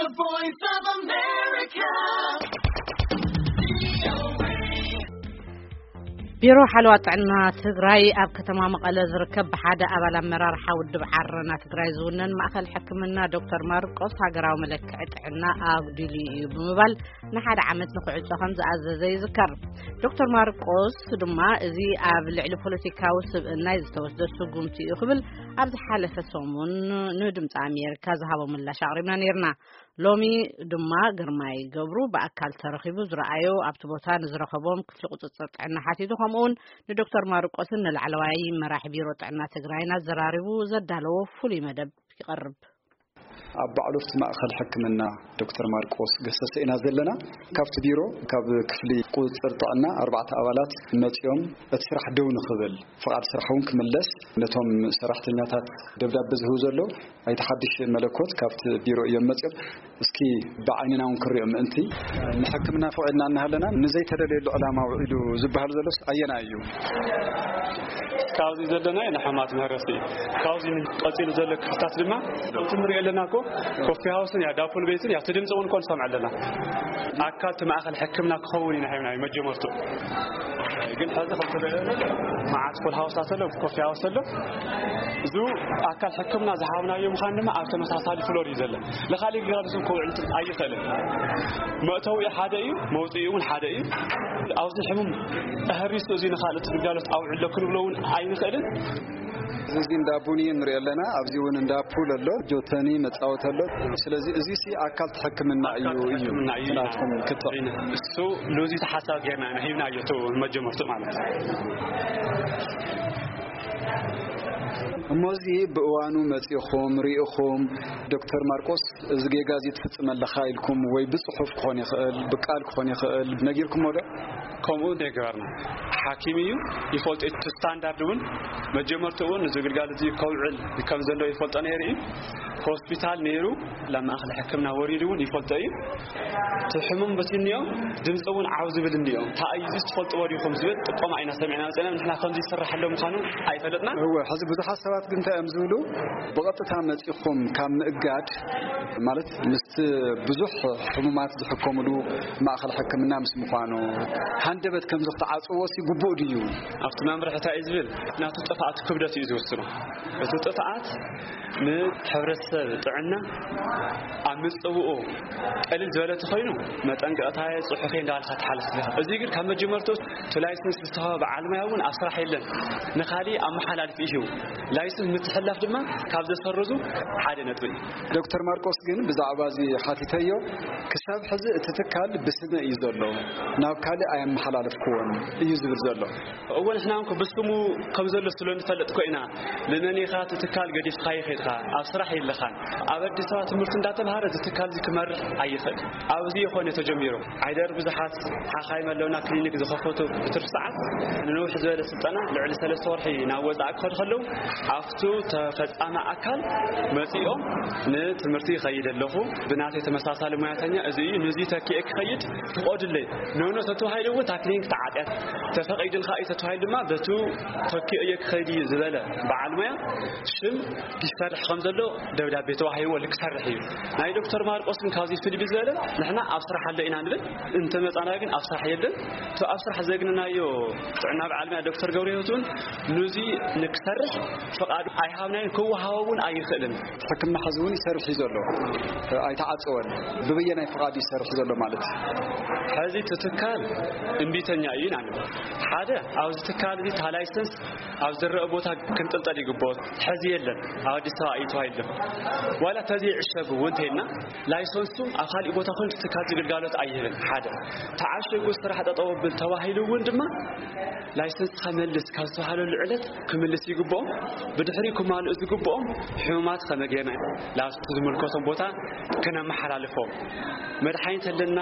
The Voice of America. ቢሮ ሓለዋ ጥዕና ትግራይ ኣብ ከተማ መቐለ ዝርከብ ብሓደ ኣባል ኣመራርሓ ውድብ ዓረና ትግራይ ዝውነን ማእኸል ሕክምና ዶክተር ማርቆስ ሃገራዊ መለክዒ ጥዕና ኣጉዲሉ እዩ ብምባል ንሓደ ዓመት ንክዕጾ ከም ዝኣዘዘ ይዝከር። ዶክተር ማርቆስ ድማ እዚ ኣብ ልዕሊ ፖለቲካዊ ስብእናይ ዝተወስደ ስጉምቲ እዩ ክብል ኣብ ዝሓለፈ ሰሙን ንድምፂ ኣሜሪካ ዝሃቦ ምላሽ ኣቕሪብና ነይርና። ሎሚ ድማ ግርማይ ገብሩ ብኣካል ተረኺቡ ዝረኣዮ ኣብቲ ቦታ ንዝረኸቦም ክፍሊ ቁፅፅር ጥዕና ሓቲቱ ከምኡውን ንዶክተር ማርቆስን ንላዕለዋይ መራሒ ቢሮ ጥዕና ትግራይን ኣዘራሪቡ ዘዳለዎ ፍሉይ መደብ ይቐርብ። ኣብ ባዕሉ ኣብቲ ማእኸል ሕክምና ዶክተር ማርቆስ ገሰሰ ኢና ዘለና። ካብቲ ቢሮ ካብ ክፍሊ ቁፅፅር ጥዕና ኣርባዕተ ኣባላት መፂኦም እቲ ስራሕ ደው ንኽብል ፍቓድ ስራሕ እውን ክምለስ ነቶም ሰራሕተኛታት ደብዳቤ ዝህቡ ዘሎ ኣይተ ሓድሽ መለኮት ካብቲ ቢሮ እዮም መፅኦም። እስኪ ብዓይንና እውን ክሪኦ ምእንቲ ንሕክምና ፈቒድና እናሃለና ንዘይተደለየሉ ዕላማ ውዒሉ ዝበሃል ዘሎስ ኣየና እዩ? ካብዚ ዘለና ንሕማት ምህረሲ ካብዚ ቀፂሉ ዘሎ ክፍታት ድማ እቲ ንሪኦ ኣለና እኮ ኮፊ ሃውስን ያ ዳፖል ቤትን ያ ትድምፂ እውን እኮ ንሰምዕ ኣለና። ኣካል እቲ ማእኸል ሕክምና ክኸውን ኢና ሂብና እዩ መጀመርቱ። ግን ሕዚ ከምተለለ መዓት ፉል ሃውሳት ኣሎ፣ ኮፊ ሃውስ ኣሎ። እዚ ኣካል ሕክምና ዝሃብናዮ ምዃን ድማ ኣብ ተመሳሳሊ ፍሎር እዩ ዘሎ። ንኻሊእ ግልጋሎት እውን ከውዕል ኣይኽእልን። መእተዊ ሓደ እዩ፣ መውፅኢ እውን ሓደ እዩ። ኣብዚ ሕሙም ኣህሪሱ እዚ ንኻልእ ግልጋሎት ኣውዕሎ ክንብሎ እውን ኣይንኽእልን። እዚ እንዳ ቡኒ ንሪኦ ኣለና። ኣብዚ እውን እንዳ ፑል ኣሎ፣ ጆተኒ መፃወቲ ኣሎ። ስለዚ እዚ ሲ ኣካል ሕክምና እዩ እዩ ሕክምና እዩ ናትኩም ክትዕ እሱ ሎዚ ተሓሳብ ጌርና ኢና ሂብናዮ እቱ መጀመርቱ ማለት እዩ። እሞ እዚ ብእዋኑ መፂኹም ርኢኹም ዶክተር ማርቆስ እዚ ጌጋ እዚ ትፍፅም ኣለኻ ኢልኩም ወይ ብፅሑፍ ክኾን ይኽእል ብቃል ክኾን ይኽእል ነጊርኩሞ ዶ? ከምኡ ነግበርና ሓኪም እዩ ይፈልጦ እቲ ስታንዳርድ እውን መጀመርቱ እውን እዚ ግልጋሎት እዚ ከውዕል ከም ዘለዎ ይፈልጦ ነይሩ እዩ። ሆስፒታል ነይሩ ናብ ማእኸል ሕክምና ወሪዱ እውን ይፈልጦ እዩ። እቲ ሕሙም በቲ እኒኦ ድምፂ እውን ዓው ዝብል እኒኦ። እንታይ እዩ እዚ ትፈልጥዎ ዲኹም ዝብል ጥቆማ ኢና ሰሚዕና መፅና። ንሕና ከምዚ ይስራሕ ኣሎ ምዃኑ ኣይፈለጥናን። እወ፣ ሕዚ ብዙሓት ሰባት ግን እንታይ እዮም ዝብሉ? ብቐጥታ መፂኹም ካብ ምእጋድ ማለት ምስቲ ብዙሕ ሕሙማት ዝሕከምሉ ማእኸል ሕክምና ምስ ምዃኑ ሃንደበት ከምዚ ክትዓፅዎ ሲ ግቡእ ድዩ? ኣብቲ መምርሒ እንታይ እዩ ዝብል? ናቱ ጥፍኣት ክብደት እዩ ዝውስኖ። እቲ ጥፍኣት ንሕብረተሰብ ጥዕና ኣብ ምፅውኡ ቀሊል ዝበለ ተኾይኑ መጠንቀቕታ ጽሑፌ እንዳበልካ ትሓልፍ ኢኻ። እዚ ግን ካብ መጀመርቱ እቲ ላይሰንስ ዝተዋህበ በዓል ሞያ እውን ኣብ ስራሕ የለን። ንኻሊእ ኣመሓላልፊ እዩ። ላይሰንስ ምትሕልላፍ ድማ ካብ ዘሰርዙ ሓደ ነጥቢ እዩ። ዶክተር ማርቆስ ግን ብዛዕባ እዚ ሓቲተዮ ክሳብ ሕዚ እቲ ትካል ብስመ እዩ ዘሎ፣ ናብ ካልእ ኣየመሓላለፍክዎን እዩ ዝብል ዘሎ። እወ ንሕና እውን ብስሙ ከም ዘሎ ስለ ንፈልጥ እኮ ኢና ንመን ኢኻ እቲ ትካል ገዲፍካዮ ከይድካ ኣብ ስራሕ የለኻን። ኣብ ኣዲስ ኣበባ ትምህርቲ እንዳተምሃረ እዚ ትካል እዚ ክመርሕ ኣይኽእል። ኣብዚ ይኾነ ተጀሚሩ። ዓይደር ብዙሓት ሓኻይም ኣለውና ክሊኒክ ዝኸፈቱ ብትርፊ ሰዓት ንነውሕ ዝበለ ስልጠና ልዕሊ ሰለስተ ወርሒ ናብ ወፃኢ ክኸዱ ከለዉ ኣብቱ ተፈፃሚ ኣካል መፂኦም ንትምህርቲ ይኸይድ ኣለኹ ብናተይ ተመሳሳሊ ሞያተኛ እዚ እዩ ነዚ ተኪኤ ክኸይድ ፍቆድለይ ኖኖ ተተባሂሉ እውን እታ ክሊኒክ ተዓጥያ ተፈቒዱልካ እዩ ተተባሂሉ ድማ በቱ ተኪኦ እየ ክኸይድ እዩ ዝበለ በዓል ሞያ ሽም ይሰርሕ ከም ዘሎ ደብዳቤ ተዋሂብዎ ልክሰርሕ እዩ። ናይ ዶክተር ማርቆስ ግን ካብዚ ፍልይ ብዝበለ ንሕና ኣብ ስራሕ ኣሎ ኢና ንብል እንተመፃና ግን ኣብ ስራሕ የለን። እቲ ኣብ ስራሕ ዘግንናዮ ጥዕና በዓል ሞያ ዶክተር ገብረ ህይወት እውን ነዚ ንክሰርሕ ፍቓዱ ኣይሃብናዮን ክወሃቦ እውን ኣይኽእልን። ሕክምና ሕዚ እውን ይሰርሕ እዩ ዘሎ ኣይተዓፀወን። ብበየናይ ፍቓድ ይሰርሕ ዘሎ ማለት እዩ? ሕዚ እቲ ትካል እምቢተኛ እዩ ኢና ንብል። ሓደ ኣብዚ ትካል እዚ እታ ላይሰንስ ኣብ ዝረአ ቦታ ክንጥልጠል ይግብኦ። ሕዚ የለን ኣብ ኣዲስ ኣበባ እዩ ተባሂሉ። ዋላ ተዘይዕሸግ እውን እንተይልና ላይሰንሱ ኣብ ካሊእ ቦታ ኮይኑ ትካል ዝግልጋሎት ኣይህብን። ሓደ ተዓሸጉ ስራሕ ጠጠው ብል ተባሂሉ እውን ድማ ላይሰንስ ከመልስ ካብ ዝተባሃለሉ ዕለት ክምልስ ይግብኦም። ብድሕሪ ክማልኡ ዝግብኦም ሕሙማት ከመጌና ላብቲ ዝምልከቶም ቦታ ክነመሓላልፎም መድሓኒት ኣለና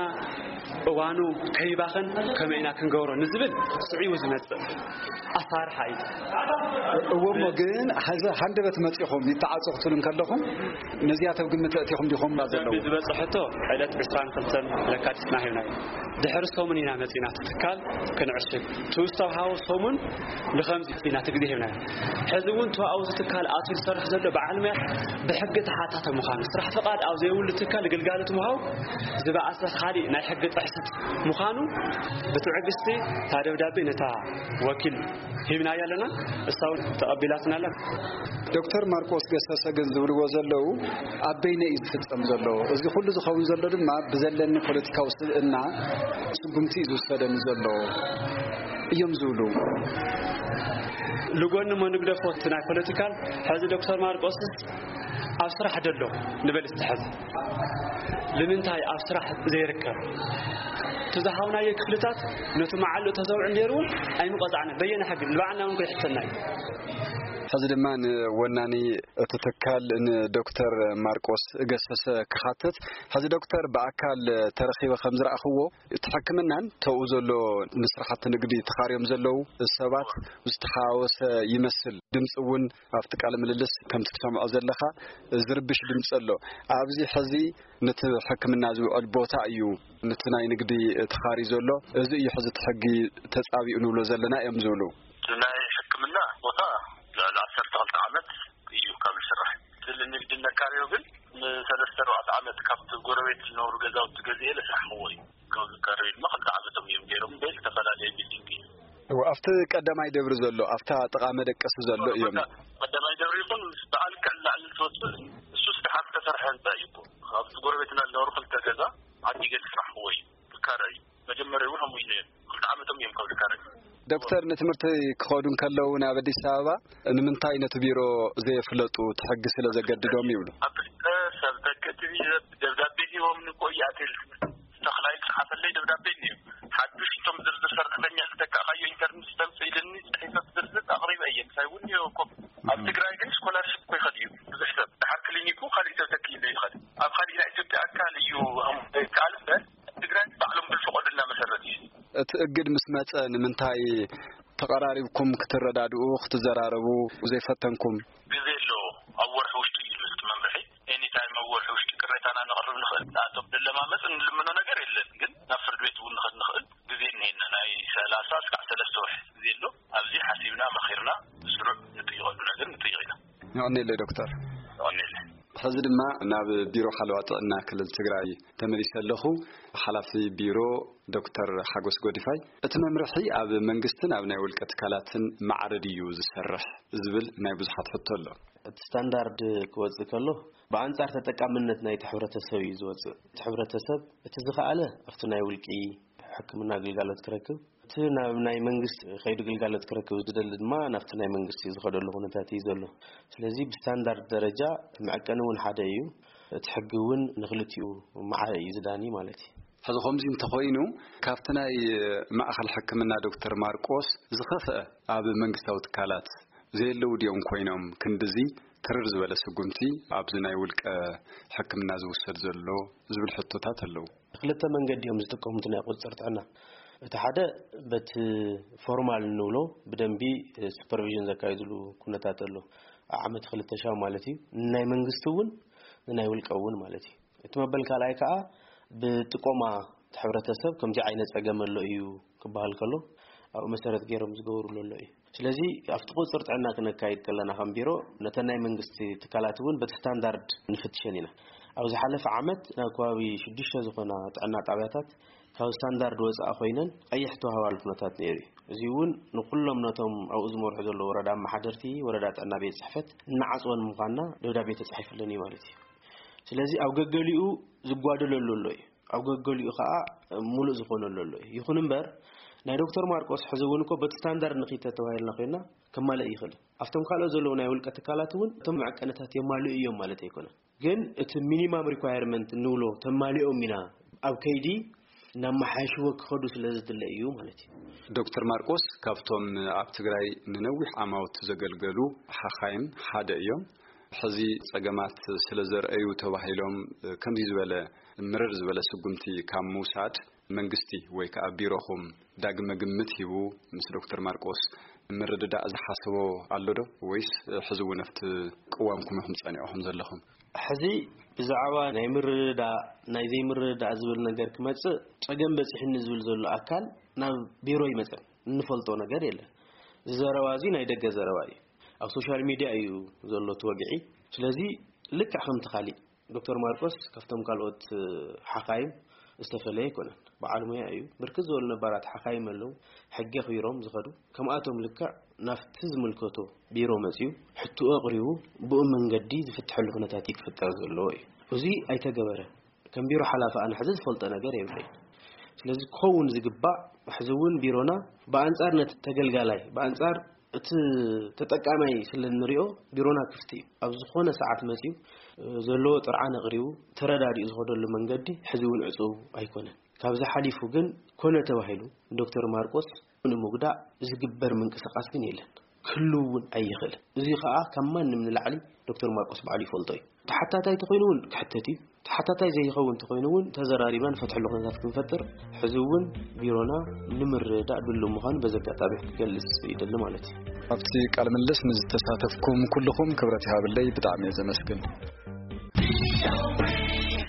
እዋኑ ከይባኸን ከመይ ኢና ክንገብሮ ንዝብል ስዒቡ ዝመጽእ ኣሳርሓ እዩ። እወ እሞ ግን ሕዚ ሃንደበት መጺኹም ይተዓጹ ክትብሉ እንከለኹም ነዚኣቶም ግምት ኣእቲኹም ዲኹም እባ ዘለዉ? ዝበጽሐቶ ዕለት ዕስራን ክልተን ለካቲትና ሂብናዮ። ድሕሪ ሰሙን ኢና መጺና እቲ ትካል ክንዕሽግ ትውስታ ሃወ ሰሙን ንኸምዚ ኢና እቲ ግዜ ሂብናዮ። ሕዚ እውን ተዋኡ ትካል ኣትዩ ዝሰርሕ ዘሎ በዓል ሙያ ብሕጊ ተሓታተ ምዃኑ ስራሕ ፍቓድ ኣብ ዘይብሉ ትካል ግልጋሎት ምሃብ ዝበኣሰ ካሊእ ናይ ሕጊ ጥሕሰት ምዃኑ ብትዕግስቲ እታ ደብዳቤ ነታ ወኪል ሂብናያ ኣለና። እሳ እውን ተቐቢላትና ኣላ። ዶክተር ማርቆስ ገሰሰ ግን ዝብልዎ ዘለዉ ኣብ በይነ እዩ ዝፍጸም ዘሎ። እዚ ኩሉ ዝኸውን ዘሎ ድማ ብዘለኒ ፖለቲካዊ ስብእና ስጉምቲ እዩ ዝውሰደኒ ዘሎ እዮም ዝብሉ። ልጎኒ ሞ ንግደፎ እቲ ናይ ፖለቲካል ሕዚ ዶክተር ማርቆስስ ኣብ ስራሕ ደሎ ንበል እስቲ ሕዚ ንምንታይ ኣብ ስራሕ ዘይርከብ እቲ ዝሃብናዮ ክፍልታት ነቲ መዓልኡ ተዘውዕል ነይሩ እውን ኣይምቆፃዕነ በየነ ሕጊ ንባዕልና እውን ከይሕተና እዩ። ሕዚ ድማ ንወናኒ እቲ ትካል ንዶክተር ማርቆስ ገሰሰ ክሓትት። ሕዚ ዶክተር ብኣካል ተረኺበ ከም ዝረኣኽዎ እቲ ሕክምናን ተኡ ዘሎ ንስራሕቲ ንግዲ ተኻርዮም ዘለዉ ሰባት ዝተሓዋወሰ ይመስል። ድምፂ እውን ኣብቲ ቃለ ምልልስ ከምቲ ትሰምዖ ዘለኻ ዝርብሽ ድምፂ ኣሎ። ኣብዚ ሕዚ ነቲ ሕክምና ዝውዕል ቦታ እዩ ነቲ ናይ ንግዲ ተኻሪ ዘሎ። እዚ እዩ ሕዚ እቲ ሕጊ ተፃቢኡ ንብሎ ዘለና እዮም ዝብሉ። ናይ ሕክምና ቦታ ልዕሊ ዓሰርተ ክልተ ዓመት እዩ ካብ ዝስራሕ። ስለ ንግዲ ነካርዮ ግን ንሰለስተ ኣርባዕተ ዓመት ካብቲ ጎረቤት ዝነብሩ ገዛውቲ ገዚኤ ለስራሕኽዎ እዩ። ካብ ዝካረዩ ድማ ክልተ ዓመቶም እዮም ገይሮም በይ ዝተፈላለየ ቢልዲንግ እዩ። እወ፣ ኣብቲ ቀዳማይ ደብሪ ዘሎ ኣብታ ጥቓ መደቀሲ ዘሎ እዮም። ቀዳማይ ደብሪ ይኹን ምስ በዓል ክዕላዕሊ ዝወፅእ እሱ ስራሓት ተሰርሐ ህንፃ እዩ እኮ። ካብቲ ጎረቤትና ዝነበሩ ክልተ ገዛ ዓዲ ገዲ ስራሕኽዎ እዩ። ዝካረ እዩ። መጀመርያ እውን ከምኡ እዩ ነይሩ። ክልተ ዓመቶም እዮም ካብ ዝካረ። ዶክተር ንትምህርቲ ክኸዱ እንከለዉ ናብ ኣዲስ ኣበባ ንምንታይ ነቲ ቢሮ ዘየፍለጡ እቲ ሕጊ ስለ ዘገድዶም ይብሉ። ኣብ ክልተ ሰብ ተክእቲ ደብዳቤ ሂቦም ንቆይ ኣትል ተኽላይ ዝሓፈለይ ደብዳቤ እዩ። ሓዱሽ እቶም ዝርዝር ሰራሕተኛ ዝተካእካዮ ኢንተርኔት ስጠምፅ ኢልኒ ፅሒፈ ዝርዝር ኣቕሪበ እየ ምሳይ እውን እኮ ኣብ ትግራይ ግን ስኮላርሽፕ እኮ ይኸድ እዩ ብዙሕ ሰብ ድሓር ክሊኒኩ ካሊእ ሰብ ተኪእሉ ይኸድ ኣብ ካሊእ ናይ ኢትዮጵያ ኣካል እዩ ይከኣል እምበር ትግራይ ባዕሎም ብዝፈቐዱልና መሰረት እዩ። እቲ እግድ ምስ መጸ ንምንታይ ተቐራሪብኩም ክትረዳድኡ ክትዘራረቡ ዘይፈተንኩም? ግዜ ኣለዎ። ኣብ ወርሒ ውሽጢ እዩ ዝብል መምርሒ። ኤኒታይም ኣብ ወርሒ ውሽጢ ቅሬታና ነቕርብ ንኽእል። ንኣቶም ንለማመፅ እንልምኖ ነገር የለን። ግን ናብ ፍርድ ቤት እውን ንኸድ ንኽእል ግዜ እኒሄና። ናይ ሰላሳ እስካዕ ሰለስተ ወርሒ ግዜ ኣሎ። ኣብዚ ሓሲብና መኺርና ስሩዕ ንጥይቐሉ ነገር ንጥይቕ ኢና። የቐኔለይ ዶክተር። የቐኔለይ። ሕዚ ድማ ናብ ቢሮ ሓለዋ ጥዕና ክልል ትግራይ ተመሊሰ ኣለኹ። ሓላፊ ቢሮ ዶክተር ሓጎስ ጎዲፋይ፣ እቲ መምርሒ ኣብ መንግስትን ኣብ ናይ ውልቀ ትካላትን ማዕረ ድዩ ዝሰርሕ ዝብል ናይ ብዙሓት ሕቶ ኣሎ። እቲ ስታንዳርድ ክወፅእ ከሎ ብኣንፃር ተጠቃምነት ናይቲ ሕብረተሰብ እዩ ዝወፅእ። እቲ ሕብረተሰብ እቲ ዝኸኣለ ኣብቲ ናይ ውልቂ ሕክምና ግልጋሎት ክረክብ፣ እቲ ናብ ናይ መንግስቲ ከይዱ ግልጋሎት ክረክብ ዝደሊ ድማ ናብቲ ናይ መንግስቲ ዝኸደሉ ኩነታት እዩ ዘሎ። ስለዚ ብስታንዳርድ ደረጃ እቲ መዐቀኒ እውን ሓደ እዩ። እቲ ሕጊ እውን ንክልቲኡ ማዕረ እዩ ዝዳኒ ማለት እዩ። ሕዚ ከምዚ እንተኾይኑ ካብቲ ናይ ማእኸል ሕክምና ዶክተር ማርቆስ ዝኸፍአ ኣብ መንግስታዊ ትካላት ዘየለዉ ድዮም ኮይኖም ክንድዚ ትርር ዝበለ ስጉምቲ ኣብዚ ናይ ውልቀ ሕክምና ዝውሰድ ዘሎ ዝብል ሕቶታት ኣለዉ። ክልተ መንገዲ እዮም ዝጥቀሙ እቲ ናይ ቁፅፅር ጥዕና። እቲ ሓደ በቲ ፎርማል እንብሎ ብደንቢ ሱፐርቪዥን ዘካይድሉ ኩነታት ኣሎ። ዓመት ክልተ ሻው ማለት እዩ። ናይ መንግስቲ እውን ንናይ ውልቀ እውን ማለት እዩ። እቲ መበል ካልኣይ ከዓ ብጥቆማ እቲ ሕብረተሰብ ከምዚ ዓይነት ፀገም ኣሎ እዩ ክበሃል ከሎ ኣብኡ መሰረት ገይሮም ዝገብሩሉ ኣሎ እዩ። ስለዚ ኣብቲ ቁፅፅር ጥዕና ክነካይድ ከለና ከም ቢሮ ነተን ናይ መንግስቲ ትካላት እውን በቲ ስታንዳርድ ንፍትሸን ኢና። ኣብ ዝሓለፈ ዓመት ናብ ከባቢ ሽዱሽተ ዝኾና ጥዕና ጣብያታት ካብ ስታንዳርድ ወፃኢ ኮይነን ቀይሕ ተዋህባሉ ኩነታት ነይሩ እዩ። እዚ እውን ንኩሎም ነቶም ኣብኡ ዝመርሑ ዘለዉ ወረዳ ኣመሓደርቲ፣ ወረዳ ጥዕና ቤት ፅሕፈት እናዓፅወን ምዃንና ደብዳቤ ተፃሒፍለን እዩ ማለት እዩ። ስለዚ ኣብ ገገሊኡ ዝጓደለሉ ኣሎ እዩ። ኣብ ገገሊኡ ከዓ ሙሉእ ዝኾነሉ ኣሎ እዩ። ይኹን እምበር ናይ ዶክተር ማርቆስ ሕዚ እውን እኮ በቲ ስታንዳርድ ንኺድ ተተባሂልና ኮይና ከማልእ ይኽእል። ኣብቶም ካልኦት ዘለዉ ናይ ውልቀ ትካላት እውን እቶም መዐቀንታት የማልኡ እዮም ማለት ኣይኮነን። ግን እቲ ሚኒማም ሪኳየርመንት እንብሎ ተማሊኦም ኢና ኣብ ከይዲ እናመሓየሽዎ ክኸዱ ስለ ዝድለ እዩ ማለት እዩ። ዶክተር ማርቆስ ካብቶም ኣብ ትግራይ ንነዊሕ ዓማውት ዘገልገሉ ሓኻይም ሓደ እዮም። ሕዚ ጸገማት ስለ ዘርአዩ ተባሂሎም ከምዚ ዝበለ ምርር ዝበለ ስጉምቲ ካብ ምውሳድ መንግስቲ ወይ ከዓ ቢሮኹም ዳግመ ግምት ሂቡ ምስ ዶክተር ማርቆስ ምርድዳእ ዝሓሰቦ ኣሎ ዶ? ወይስ ሕዚ እውን ኣብቲ ቅዋምኩም ኢኹም ጸኒዕኹም ዘለኹም? ሕዚ ብዛዕባ ናይ ምርድዳእ ናይ ዘይምርድዳእ ዝብል ነገር ክመጽእ ጸገም በጺሕኒ ዝብል ዘሎ ኣካል ናብ ቢሮ ይመጸን እንፈልጦ ነገር የለን። እዚ ዘረባ እዚ ናይ ደገ ዘረባ እዩ። ኣብ ሶሻል ሚድያ እዩ ዘሎ እቲ ወግዒ። ስለዚ ልክዕ ከምቲ ካሊእ ዶክተር ማርቆስ ካብቶም ካልኦት ሓኻይም ዝተፈለየ ኣይኮነን። በዓል ሙያ እዩ። ብርክት ዝበሉ ነባራት ሓኻይም ኣለዉ፣ ሕጊ ኣኽቢሮም ዝኸዱ። ከምኣቶም ልክዕ ናብቲ ዝምልከቶ ቢሮ መጺኡ ሕትኡ ኣቕሪቡ ብኡ መንገዲ ዝፍትሐሉ ኩነታት እዩ ክፍጠር ዘለዎ እዩ። እዚ ኣይተገበረን። ከም ቢሮ ሓላፊ ኣነ ሕዚ ዝፈልጦ ነገር የብለይ። ስለዚ ክኸውን ዝግባእ ሕዚ እውን ቢሮና ብኣንጻር ነቲ ተገልጋላይ ብኣንጻር እቲ ተጠቃማይ ስለ እንሪኦ ቢሮና ክፍቲ እዩ። ኣብ ዝኾነ ሰዓት መጺኡ ዘለዎ ጥርዓን ኣቕሪቡ ተረዳዲኡ ዝኸደሉ መንገዲ ሕዚ እውን ዕጹው ኣይኮነን። ካብዚ ሓሊፉ ግን ኮነ ተባሂሉ ዶክተር ማርቆስ ንምጉዳእ ዝግበር ምንቅስቃስ ግን የለን፣ ክህሉ እውን ኣይኽእልን። እዚ ከዓ ካብ ማንም ንላዕሊ ዶክተር ማርቆስ ባዕሉ ይፈልጦ እዩ። ተሓታታይ ተኮይኑ እውን ክሕተት እዩ። ተሓታታይ ዘይኸውን ተኮይኑ እውን ተዘራሪብና ንፈትሐሉ ኩነታት ክንፈጥር ሕዚ እውን ቢሮና ንምርዳእ ድሉ ምዃኑ በዚ ኣጋጣሚ ክገልጽ ይደሊ ማለት እዩ። ኣብቲ ቃለ ምልልስ ንዝተሳተፍኩም ኩልኹም ክብረት ይሃብለይ፣ ብጣዕሚ እየ ዘመስግን።